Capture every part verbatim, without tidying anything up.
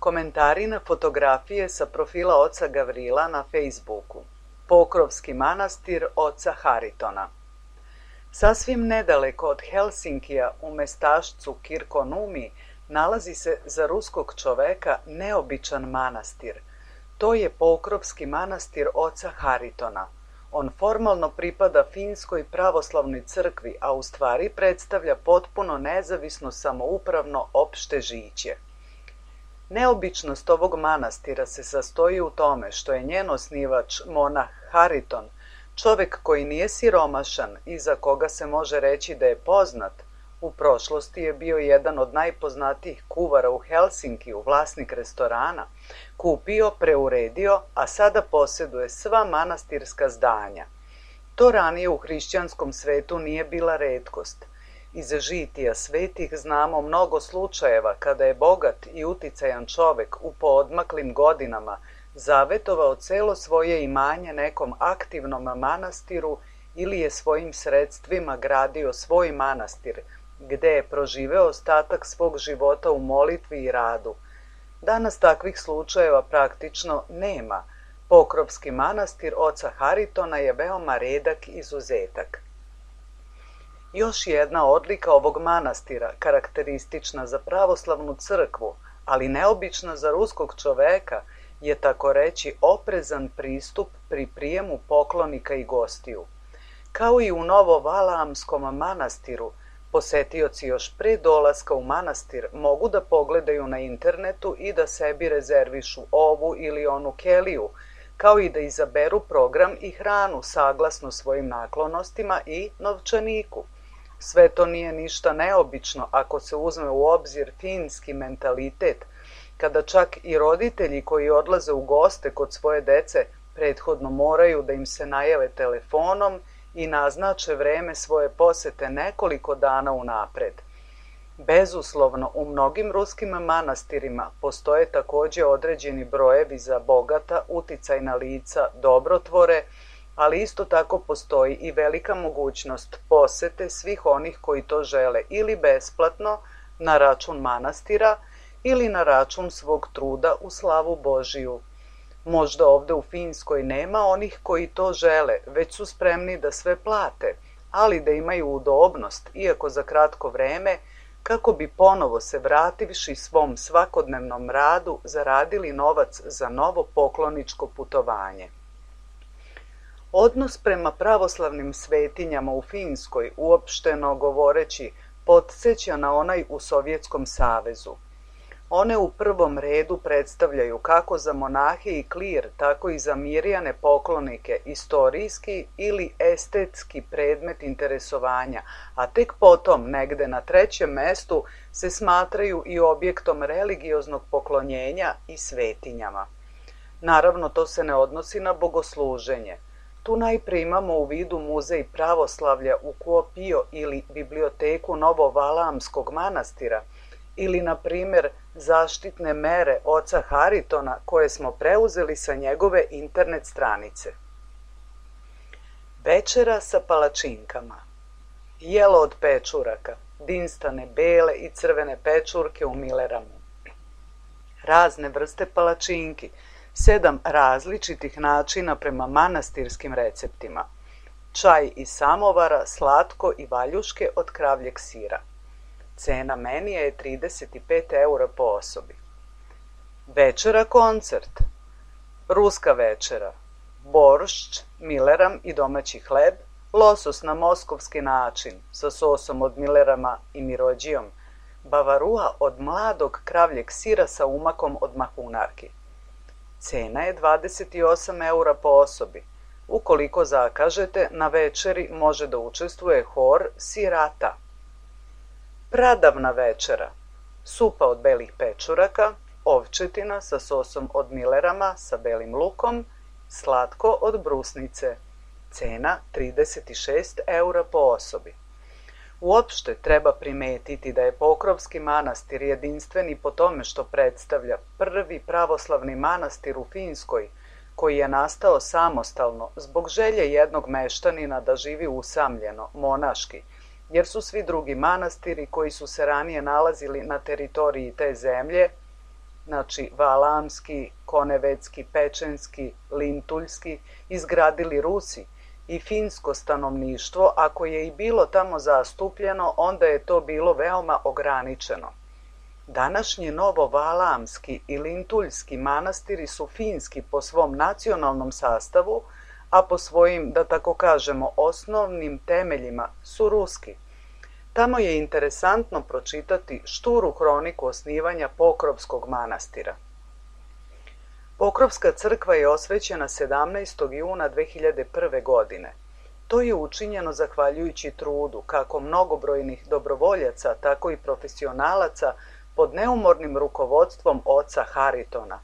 Komentari na fotografije sa profila oca Gavrila na Facebooku. Pokrovski manastir oca Haritona. Sasvim nedaleko od Helsinkija u mestašcu Kirkonumi nalazi se za ruskog čoveka neobičan manastir. To je Pokrovski manastir oca Haritona. On formalno pripada Finskoj pravoslavnoj crkvi, a u stvari predstavlja potpuno nezavisno samoupravno opšte žiće. Neobičnost ovog manastira se sastoji u tome što je njen osnivač, monah Hariton, čovek koji nije siromašan i za koga se može reći da je poznat. U prošlosti je bio jedan od najpoznatijih kuvara u Helsinkiju, vlasnik restorana, kupio, preuredio, a sada posjeduje sva manastirska zdanja. To ranije u hrišćanskom svetu nije bila retkost. Iz žitija svetih znamo mnogo slučajeva kada je bogat i uticajan čovek u poodmaklim godinama zavetovao celo svoje imanje nekom aktivnom manastiru ili je svojim sredstvima gradio svoj manastir, gde je proživeo ostatak svog života u molitvi i radu. Danas takvih slučajeva praktično nema. Pokrovski manastir oca Haritona je veoma redak izuzetak. Još jedna odlika ovog manastira, karakteristična za pravoslavnu crkvu, ali neobična za ruskog čoveka, je tako reći oprezan pristup pri prijemu poklonika i gostiju. Kao i u Novovalaamskom manastiru, posetioci još pre dolaska u manastir mogu da pogledaju na internetu i da sebi rezervišu ovu ili onu keliju, kao i da izaberu program i hranu saglasno svojim naklonostima i novčaniku. Sve to nije ništa neobično ako se uzme u obzir finski mentalitet, kada čak i roditelji koji odlaze u goste kod svoje dece prethodno moraju da im se najave telefonom i naznače vreme svoje posete nekoliko dana unapred. Bezuslovno, u mnogim ruskim manastirima postoje takođe određeni brojevi za bogata, uticajna lica, dobrotvore, ali isto tako postoji i velika mogućnost posete svih onih koji to žele ili besplatno na račun manastira ili na račun svog truda u slavu Božiju. Možda ovde u Finskoj nema onih koji to žele, već su spremni da sve plate, ali da imaju udobnost, iako za kratko vreme, kako bi ponovo se vrativši svom svakodnevnom radu zaradili novac za novo pokloničko putovanje. Odnos prema pravoslavnim svetinjama u Finskoj, uopšteno govoreći, podseća na onaj u Sovjetskom savezu. One u prvom redu predstavljaju kako za monahe i klir, tako i za mirjane poklonike istorijski ili estetski predmet interesovanja, a tek potom, negde na trećem mestu, se smatraju i objektom religioznog poklonjenja i svetinjama. Naravno, to se ne odnosi na bogosluženje. Tu najpre imamo u vidu muzej pravoslavlja u Kuopio ili biblioteku Novovalaamskog manastira, ili, na primer, zaštitne mere oca Haritona koje smo preuzeli sa njegove internet stranice. Večera sa palačinkama. Jelo od pečuraka, dinstane bele i crvene pečurke u Milleramu. Razne vrste palačinki, sedam različitih načina prema manastirskim receptima. Čaj iz samovara, slatko i valjuške od kravljeg sira. Cena menija je trideset pet eura po osobi. Večera koncert. Ruska večera. Boršč, Milleram i domaći hleb, losos na moskovski način sa sosom od Millerama i mirođijom, bavarua od mladog kravljeg sira sa umakom od mahunarki. Cena je dvadeset osam eura po osobi. Ukoliko zakažete, na večeri može da učestvuje hor sirata. Pradavna večera. Supa od belih pečuraka, ovčetina sa sosom od Millerama sa belim lukom, slatko od brusnice. Cena trideset šest eura po osobi. Uopšte treba primetiti da je Pokrovski manastir jedinstveni po tome što predstavlja prvi pravoslavni manastir u Finskoj, koji je nastao samostalno zbog želje jednog meštanina da živi usamljeno, monaški, jer su svi drugi manastiri koji su se ranije nalazili na teritoriji te zemlje znači Valamski, Konevecki, Pečenski, Lintuljski, izgradili Rusi i finsko stanovništvo, ako je i bilo tamo zastupljeno, onda je to bilo veoma ograničeno. Današnji Novovalamski i Lintuljski manastiri su finski po svom nacionalnom sastavu, a po svojim, da tako kažemo, osnovnim temeljima su ruski. Tamo je interesantno pročitati šturu hroniku osnivanja Pokrovskog manastira. Pokrovska crkva je osvećena sedamnaestog juna dve hiljade prve. godine. To je učinjeno zahvaljujući trudu kako mnogobrojnih dobrovoljaca, tako i profesionalaca pod neumornim rukovodstvom oca Haritona.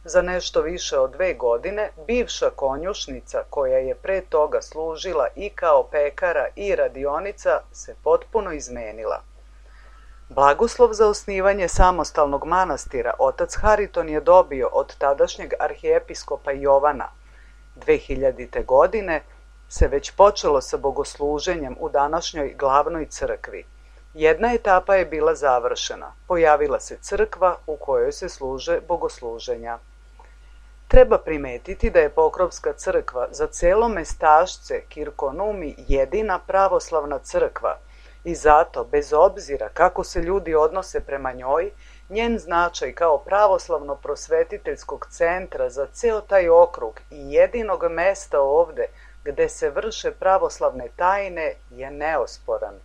Za nešto više od dve godine bivša konjušnica, koja je pre toga služila i kao pekara i radionica, se potpuno izmenila. Blagoslov za osnivanje samostalnog manastira otac Hariton je dobio od tadašnjeg arhijepiskopa Jovana. dve hiljadite. godine se već počelo sa bogosluženjem u današnjoj glavnoj crkvi. Jedna etapa je bila završena. Pojavila se crkva u kojoj se služe bogosluženja. Treba primetiti da je Pokrovska crkva za celo mestašce Kirkonumi jedina pravoslavna crkva i zato, bez obzira kako se ljudi odnose prema njoj, njen značaj kao pravoslavno-prosvetiteljskog centra za ceo taj okrug i jedinog mesta ovde gde se vrše pravoslavne tajne je neosporan.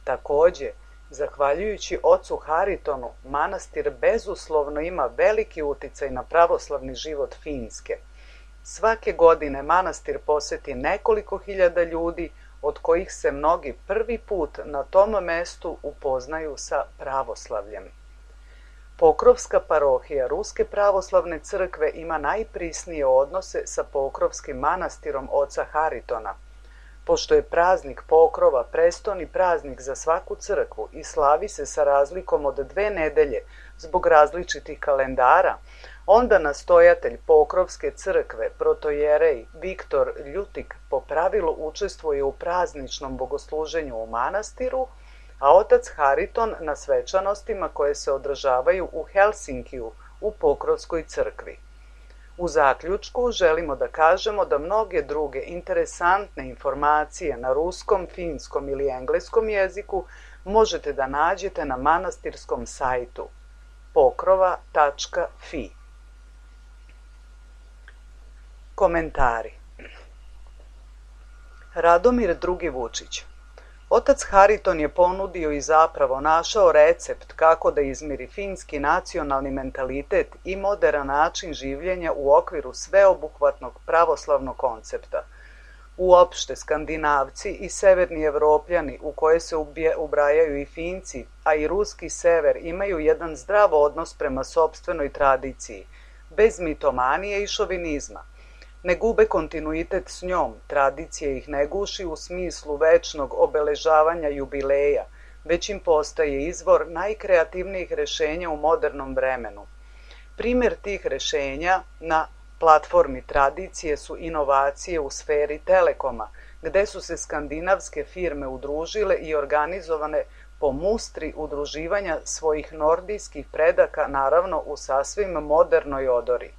Takođe, zahvaljujući ocu Haritonu, manastir bezuslovno ima veliki uticaj na pravoslavni život Finske. Svake godine manastir poseti nekoliko hiljada ljudi, od kojih se mnogi prvi put na tom mestu upoznaju sa pravoslavljem. Pokrovska parohija Ruske pravoslavne crkve ima najprisnije odnose sa Pokrovskim manastirom oca Haritona. Pošto je praznik Pokrova prestoni praznik za svaku crkvu i slavi se sa razlikom od dve nedelje zbog različitih kalendara, onda nastojatelj Pokrovske crkve, protojerej Viktor Ljutik, po pravilu učestvuje u prazničnom bogosluženju u manastiru, a otac Hariton na svečanostima koje se održavaju u Helsinkiju u Pokrovskoj crkvi. U zaključku želimo da kažemo da mnoge druge interesantne informacije na ruskom, finskom ili engleskom jeziku možete da nađete na manastirskom sajtu pokrova tačka fi. Komentari. Radomir drugi. Vučić. Otac Hariton je ponudio i zapravo našao recept kako da izmiri finski nacionalni mentalitet i moderan način življenja u okviru sveobuhvatnog pravoslavnog koncepta. Uopšte, Skandinavci i severni Evropljani, u koje se ubrajaju i Finci, a i ruski sever, imaju jedan zdrav odnos prema sopstvenoj tradiciji, bez mitomanije i šovinizma. Ne gube kontinuitet s njom, tradicija ih ne guši u smislu večnog obeležavanja jubileja, već im postaje izvor najkreativnijih rešenja u modernom vremenu. Primer tih rešenja na platformi tradicije su inovacije u sferi telekoma, gde su se skandinavske firme udružile i organizovane po mustri udruživanja svojih nordijskih predaka, naravno u sasvim modernoj odori.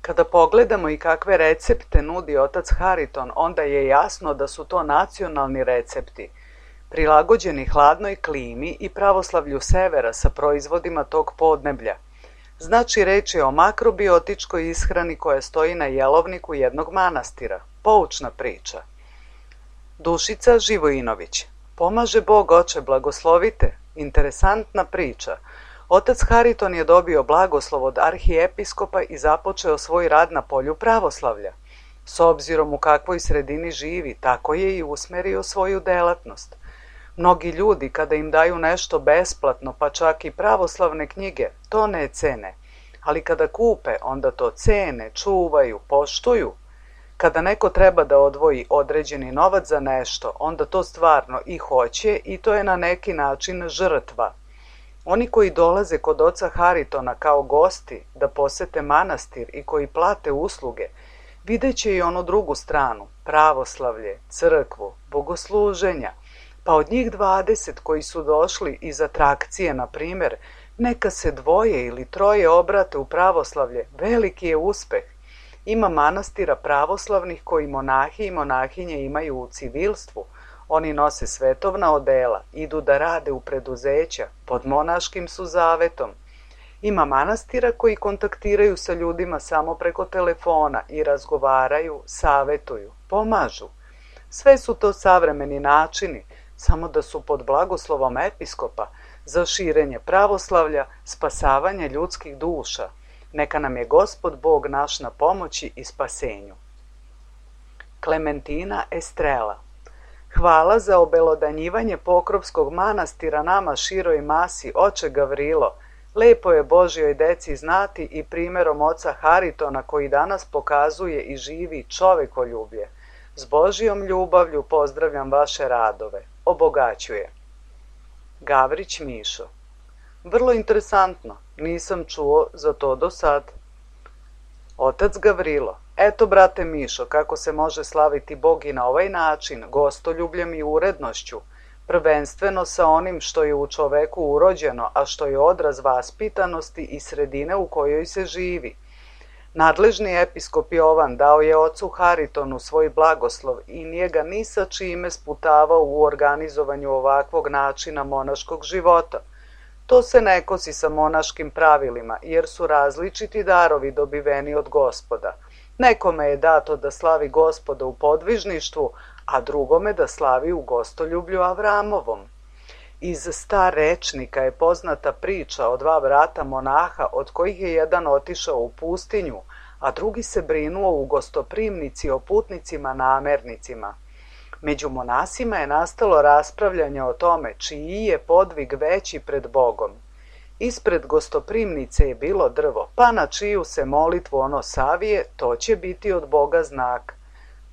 Kada pogledamo i kakve recepte nudi otac Hariton, onda je jasno da su to nacionalni recepti, prilagođeni hladnoj klimi i pravoslavlju severa sa proizvodima tog podneblja. Znači, reč je o makrobiotičkoj ishrani koja stoji na jelovniku jednog manastira. Poučna priča. Dušica Živojinović. Pomaže Bog, oče, blagoslovite. Interesantna priča. Otac Hariton je dobio blagoslov od arhijepiskopa i započeo svoj rad na polju pravoslavlja. S obzirom u kakvoj sredini živi, tako je i usmerio svoju delatnost. Mnogi ljudi, kada im daju nešto besplatno, pa čak i pravoslavne knjige, to ne cene. Ali kada kupe, onda to cene, čuvaju, poštuju. Kada neko treba da odvoji određeni novac za nešto, onda to stvarno i hoće i to je na neki način žrtva. Oni koji dolaze kod oca Haritona kao gosti da posete manastir i koji plate usluge, videće i onu drugu stranu, pravoslavlje, crkvu, bogosluženja, pa od njih dvadeset koji su došli iz atrakcije, na primer, Neka se dvoje ili troje obrate u pravoslavlje, veliki je uspeh. Ima manastira pravoslavnih koji monahi i monahinje imaju u civilstvu. Oni nose svetovna odela, idu da rade u preduzeća, pod monaškim su zavetom. Ima manastira koji kontaktiraju sa ljudima samo preko telefona i razgovaraju, savetuju, pomažu. Sve su to savremeni načini, samo da su pod blagoslovom episkopa, za širenje pravoslavlja, spasavanje ljudskih duša. Neka nam je Gospod Bog naš na pomoći i spasenju. Klementina Estrela. Hvala za obelodanjivanje Pokrovskog manastira nama široj masi, oče Gavrilo. Lepo je Božjoj deci znati i primjerom oca Haritona koji danas pokazuje i živi čovekoljublje. S Božjom ljubavlju pozdravljam vaše radove. Obogaćuje. Gavrić Mišo. Vrlo interesantno, nisam čuo za to do sad. Otac Gavrilo. Eto, brate Mišo, kako se može slaviti Bog i na ovaj način, gostoljubljem i urednošću, prvenstveno sa onim što je u čoveku urođeno, a što je odraz vaspitanosti i sredine u kojoj se živi. Nadležni episkop Jovan dao je ocu Haritonu svoj blagoslov i nije ga ni sa čime sputavao u organizovanju ovakvog načina monaškog života. To se ne kosi sa monaškim pravilima, jer su različiti darovi dobiveni od Gospoda. Nekome je dato da slavi Gospoda u podvižništvu, a drugome da slavi u gostoljublju Avramovom. Iz starečnika je poznata priča o dva brata monaha, od kojih je jedan otišao u pustinju, a drugi se brinuo u gostoprimnici o putnicima namernicima. Među monasima je nastalo raspravljanje o tome čiji je podvig veći pred Bogom. Ispred gostoprimnice je bilo drvo, pa na čiju se molitvu ono savije, to će biti od Boga znak.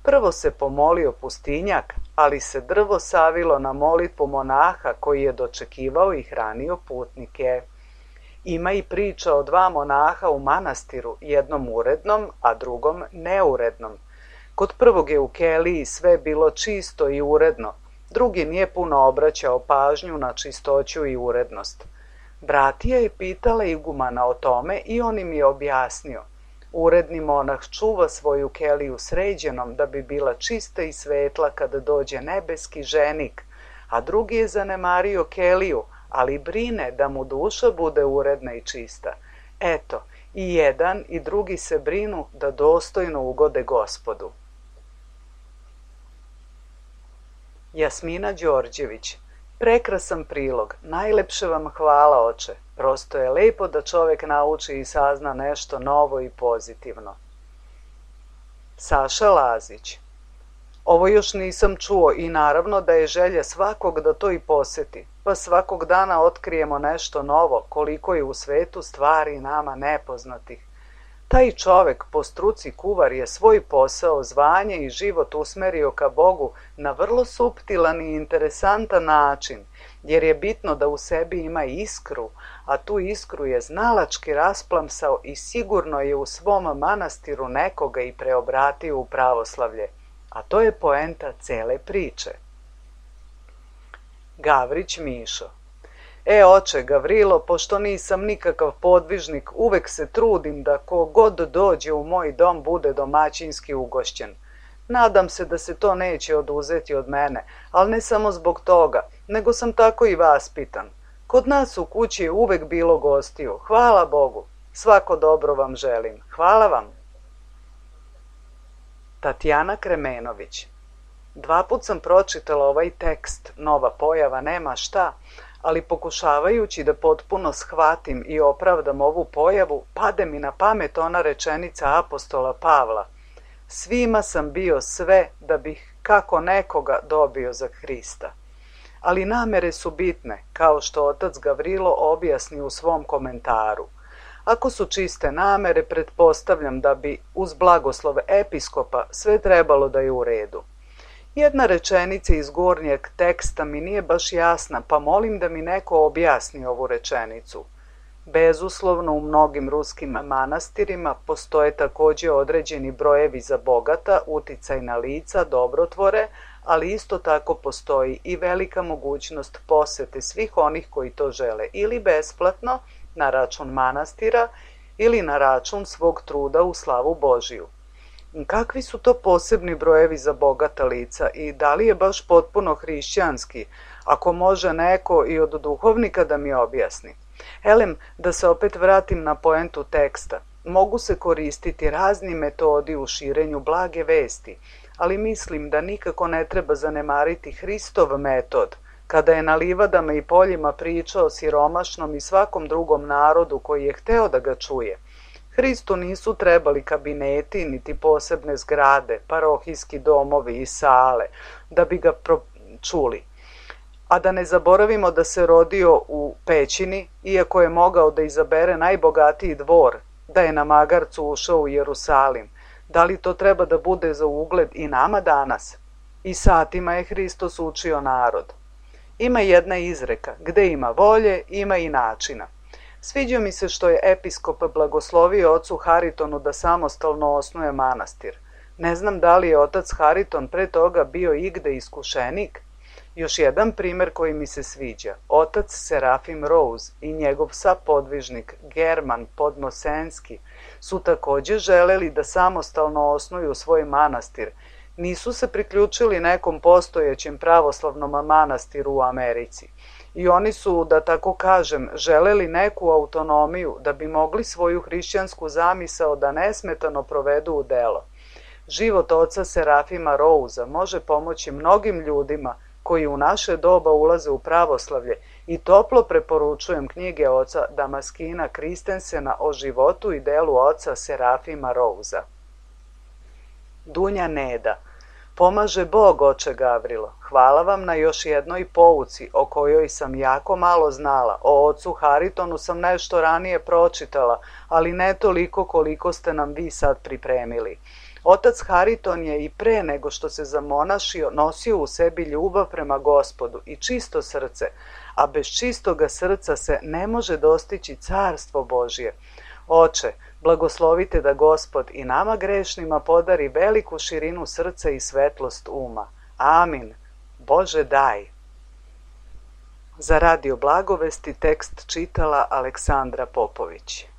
Prvo se pomolio pustinjak, ali se drvo savilo na molitvu monaha koji je dočekivao i hranio putnike. Ima i priča o dva monaha u manastiru, jednom urednom, a drugom neurednom. Kod prvog je u keliji sve bilo čisto i uredno, drugi nije puno obraćao pažnju na čistoću i urednost. Bratija je pitala igumana o tome i on im je objasnio. Uredni monah čuva svoju keliju sređenom da bi bila čista i svetla kada dođe nebeski ženik, a drugi je zanemario keliju, ali brine da mu duša bude uredna i čista. Eto, i jedan i drugi se brinu da dostojno ugode Gospodu. Jasmina Đorđević. Prekrasan prilog, najlepše vam hvala, oče. Prosto je lepo da čovek nauči i sazna nešto novo i pozitivno. Saša Lazić. Ovo još nisam čuo i naravno da je želja svakog da to i poseti, pa svakog dana otkrijemo nešto novo, koliko je u svetu stvari nama nepoznatih. Taj čovek po struci kuvar je svoj posao, zvanje i život usmerio ka Bogu na vrlo suptilan i interesantan način, jer je bitno da u sebi ima iskru, a tu iskru je znalački rasplamsao i sigurno je u svom manastiru nekoga i preobratio u pravoslavlje, a to je poenta cele priče. Gavrić Mišo. E, oče Gavrilo, pošto nisam nikakav podvižnik, uvek se trudim da ko god dođe u moj dom bude domaćinski ugošćen. Nadam se da se to neće oduzeti od mene, ali ne samo zbog toga, nego sam tako i vaspitan. Kod nas u kući je uvek bilo gostiju, hvala Bogu, svako dobro vam želim, hvala vam. Tatjana Kremenović. Dva put sam pročitala ovaj tekst, nova pojava nema šta, ali pokušavajući da potpuno shvatim i opravdam ovu pojavu, pade mi na pamet ona rečenica apostola Pavla. Svima sam bio sve da bih kako nekoga dobio za Hrista. Ali namere su bitne, kao što otac Gavrilo objasni u svom komentaru. Ako su čiste namere, pretpostavljam da bi uz blagoslov episkopa sve trebalo da je u redu. Jedna rečenica iz gornjeg teksta mi nije baš jasna, pa molim da mi neko objasni ovu rečenicu. Bezuslovno u mnogim ruskim manastirima postoje također određeni brojevi za bogata, uticajna lica, dobrotvore, ali isto tako postoji i velika mogućnost posete svih onih koji to žele ili besplatno na račun manastira ili na račun svog truda u slavu Božiju. Kakvi su to posebni brojevi za bogata lica i da li je baš potpuno hrišćanski, ako može neko i od duhovnika da mi objasni? Elem, da se opet vratim na poentu teksta. Mogu se koristiti razni metodi u širenju blage vesti, ali mislim da nikako ne treba zanemariti Hristov metod, kada je na livadama i poljima pričao siromašnom i svakom drugom narodu koji je hteo da ga čuje. Hristu nisu trebali kabineti, niti posebne zgrade, parohijski domovi i sale, da bi ga čuli. A da ne zaboravimo da se rodio u pećini, iako je mogao da izabere najbogatiji dvor, da je na magarcu ušao u Jerusalim. Da li to treba da bude za ugled i nama danas? I satima je Hristos učio narod. Ima jedna izreka, gde ima volje, ima i načina. Sviđa mi se što je episkop blagoslovio ocu Haritonu da samostalno osnuje manastir. Ne znam da li je otac Hariton pre toga bio igde iskušenik. Još jedan primer koji mi se sviđa. Otac Serafim Rose i njegov sapodvižnik German Podmosenski su takođe želeli da samostalno osnuju svoj manastir. Nisu se priključili nekom postojećem pravoslavnom manastiru u Americi. I oni su, da tako kažem, želeli neku autonomiju da bi mogli svoju hrišćansku zamisao da nesmetano provedu u delo. Život oca Serafima Rousea može pomoći mnogim ljudima koji u naše doba ulaze u pravoslavlje i toplo preporučujem knjige oca Damaskina Kristensena o životu i delu oca Serafima Rousea. Dunja Neda. Pomaže Bog, oče Gavrilo. Hvala vam na još jednoj pouci o kojoj sam jako malo znala. O ocu Haritonu sam nešto ranije pročitala, ali ne toliko koliko ste nam vi sad pripremili. Otac Hariton je i pre nego što se zamonašio nosio u sebi ljubav prema Gospodu i čisto srce, a bez čistoga srca se ne može dostići carstvo Božje. Oče, blagoslovite da Gospod i nama grešnima podari veliku širinu srca i svetlost uma. Amin. Bože daj. Za Radio Blagovesti tekst čitala Aleksandra Popović.